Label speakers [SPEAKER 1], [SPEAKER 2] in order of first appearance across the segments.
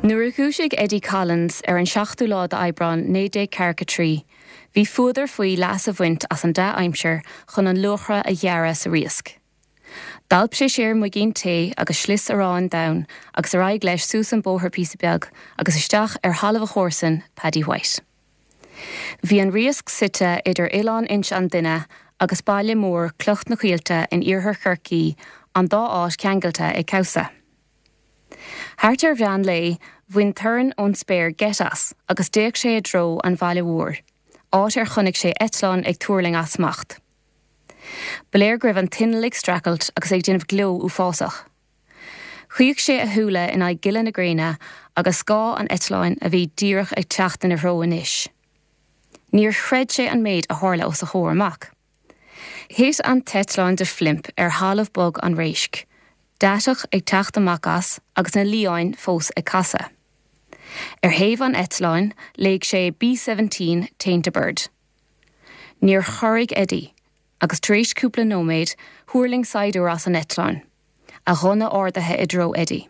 [SPEAKER 1] Nuair a dhúisigh Eddie Collins ar an seachtú lá d'Aibreán 1943, bhí fuadar faoi leas a bhaint as an dea-aimsir chun an luachra a ghearradh sa riasc. D'alp sé siar muigín tae agus slios aráin donn agus ar aghaidh leis suas an bóthar píosa beag agus isteach ar thalamh a chomharsan, Paddy White. Bhí an riasc suite idir Oileán Inse an Duine agus baile mór Cloich na Coillte in iarthar Chorcaí, an dá áit ceangailte ag cabhsa. Thart ar mheán lae, bhain torann ón spéir geit as agus d'fhéach sé i dtreo an bhaile mhóir, áit ar chonaic sé eitleán ag tuirling as smacht. Ba léir go raibh an t-inneall ag streachailt agus é ag déanamh gleo uafásach. Chaoch sé a shúile in aghaidh gile na gréine agus scáth an eitleáin a bhí díreach ag teacht ina threo anois. Níor chreid sé an méid a tharla os a chomhair amach. Thit an t-eitleán de phlimp ar thalamh bog an réisc, deatach ag teacht amach as agus na liáin fós ag casadh. Ar thaobh an eitleáin, léigh sé B-17 Tainter Bird. Níor chorraigh Eddie, agus tar éis cúpla nóiméad, thuirling saighdiúir as an eitleán, a ghunna ardaithe i dtreo Eddie.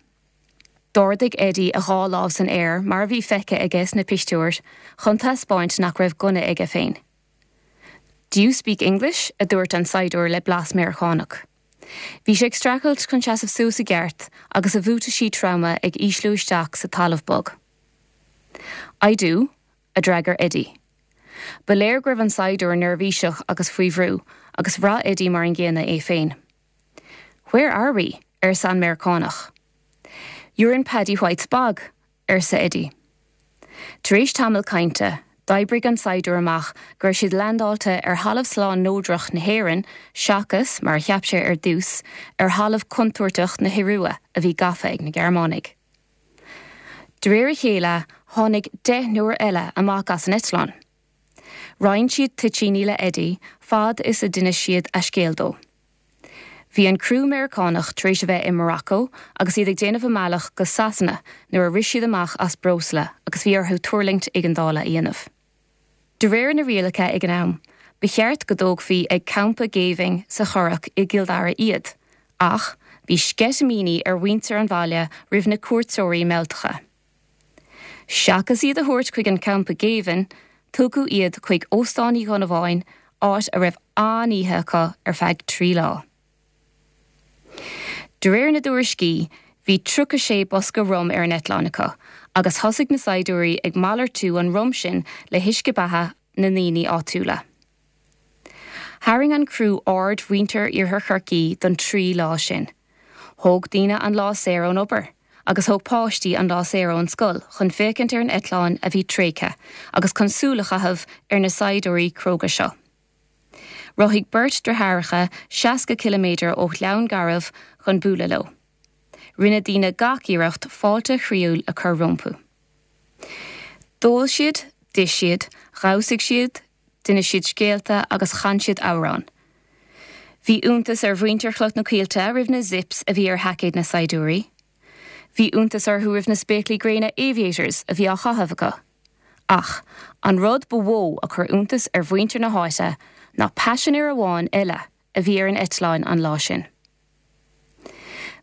[SPEAKER 1] D'ardaigh Eddie a dhá lámh san aer, mar a bhí feicthe aige sna pictiúir, chun taispeáint nach raibh gunna aige féin. Do you speak English? a dúirt an saighdiúir le blas Meiriceánach. Bhí sé ag streachailt chun seasamh suas i gceart agus a bhuataisí troma ag ísliú isteach sa talamh bog. I do, a d'fhreagair Eddie. Ba léir go raibh an saighdiúir neirbhíseach agus faoi bhrú agus bhraith Eddie mar an gcéanna é féin. Where are we? arsa an Meiriceánach. You're in Paddy White's bog, arsa Eddie. Tar éis tamall cainte, d'oibrigh an saighdiúir amach go raibh siad leaindeáilte ar thalamh slán neodrach na hÉireann seachas, mar a cheap sé ar dtús, ar thalamh contúirteach na hIorua a bhí gafa ag na Gearmánaigh. De réir a chéile, tháinig deichniúr eile amach as an eitleán. Roinn siad toitíní le Eddie fad is a d'inis siad a scéal dó. Bhí an criú Meiriceánach tar éis a bheith i Morocco agus iad ag déanamh a mbealach go Sasana nuair a rith siad amach as breosla agus bhí orthu tuirlingt éigeandála a dhéanamh. De réir na rialacha ag an am, ba cheart go dtógfaí ag campa géibhinn sa Churrach i gCill Dara iad, ach bhí sceitimíní ar mhuintir an bhaile roimh na cuairteoirí mealltacha. Seachas iad a thabhairt chuig an champa géibhinn, tugadh iad chuig Óstán Uí Dhonnabháin, áit a raibh an-oíche acu ar feadh 3 lá. De réir na dtuairiscí, bhí 36 bosca rum ar an eitleán acu agus thosaigh na saighdiúirí ag malartú an rum sin le huisce beatha na ndaoine áitiúla. Tharraing an criú aird mhuintir Iarthar Chorcaí don 3 lá sin. Thóg daoine an lá saor ón obair agus thóg páistí an lá saor ón scoil chun féachaint ar an eitleán a bhí tréigthe agus chun súil a chaitheamh ar na saighdiúirí cróga seo. Rothaigh beirt deartháireacha 60 ciliméadar ó Ghleann Garbh chun bualadh leo. Rinne daoine gach iarracht fáilte chroíúil a chur rompu. D'ól siad, d'ith siad, dhamhsaigh siad, D'inis siad scéalta agus chan siad amhráin. Bhí iontas ar mhuintir Chloich na Coillte roimh na zips a bhí ar sheaicéid na saighdiúirí. Bhí iontas orthu roimh na spéaclaí gréine aviators a bhí á chaitheamh acu. Ach an rud ba mhó a chuir iontas ar mhuintir na háite ná paisinéir amháin eile a bhí ar an eitleán an lá sin.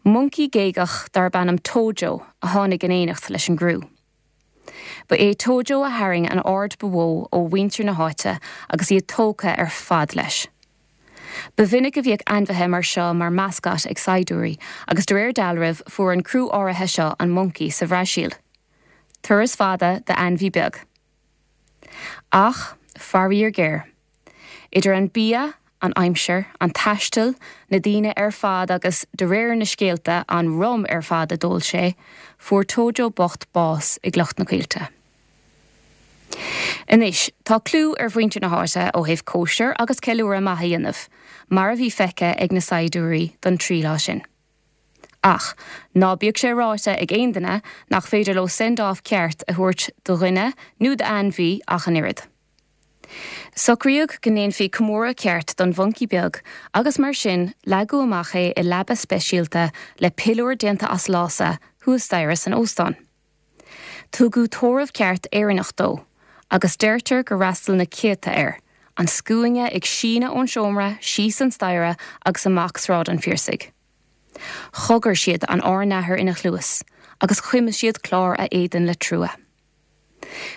[SPEAKER 1] Moncaí géagach darb ainm Tojo a tháinig in éineacht leis an gcriú. Ba é Tojo a tharraing an aird ba mhó ó mhuintir na háite agus iad tógtha ar fad leis. Ba mhinic a bhíodh ainmhithe mar seo mar mascot ag saighdiúirí agus de réir dealraimh fuair an criú áirithe seo an moncaí sa Bhrasaíl. Turas fada d'ainmhí beag. Ach, faraor géar. Idir an bia, an aimsir, an taisteal, na daoine ar fad agus, de réir na scéalta, an rum ar fad a d'ól sé, fuair Tojo bocht bás i gCloich na Coillte. Anois, tá clú ar mhuintir na háite ó thaobh cóisir agus ceiliúradh maith a dhéanamh, mar a bhí feicthe ag na saighdiúirí don 3 lá sin. Ach, ná bíodh sé ráite ag aon duine nach féidir leo send-off ceart a thabhairt do dhuine nó d'ainmhí ach an oiread. Socraíodh go ndéanfaí comóradh ceart don mhoncaí beag agus mar sin leagadh amach é i leaba speisialta le piliúr déanta as lása thuas staighre san óstán. Tugadh tórramh ceart Éireannach dó agus deirtear gur fhreastail na céadta air, an scuaine ag síneadh ón seomra síos an staighre agus amach Sráid an Phiarsaigh. Chogair siad an Ár nAthair ina chluas. agus chuimil siad clár a éadain le trua.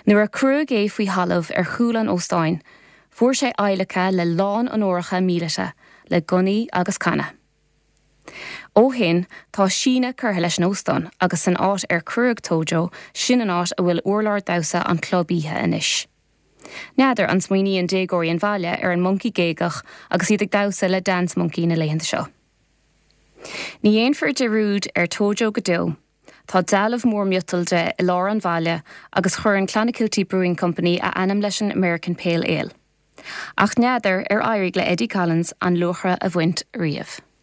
[SPEAKER 1] Nuair a cuireadh é faoi thalamh ar chúl an óstáin, fuair sé adhlacadh le lán onóracha míleata, le gunnaí agus canna. Ó shin, tá síneadh curtha leis an óstán agus san áit ar cuireadh Tojo, sin an áit a bhfuil urlár damhsa an chlub oíche anois. N'fheadar an smaoiníonn déagóirí an bhaile ar an moncaí géagach agus iad ag damhsa le Dance Monkey na laethanta seo. Ní dhéanfar dearúd ar Tojo go deo. Tá dealbh mór miotail de i lár an bhaile agus chuir an Clonakilty Brewing Company a ainm leis an American Pale Ale. Ach n'fheadar ar éirigh le Eddie Collins an luachra a bhaint riamh.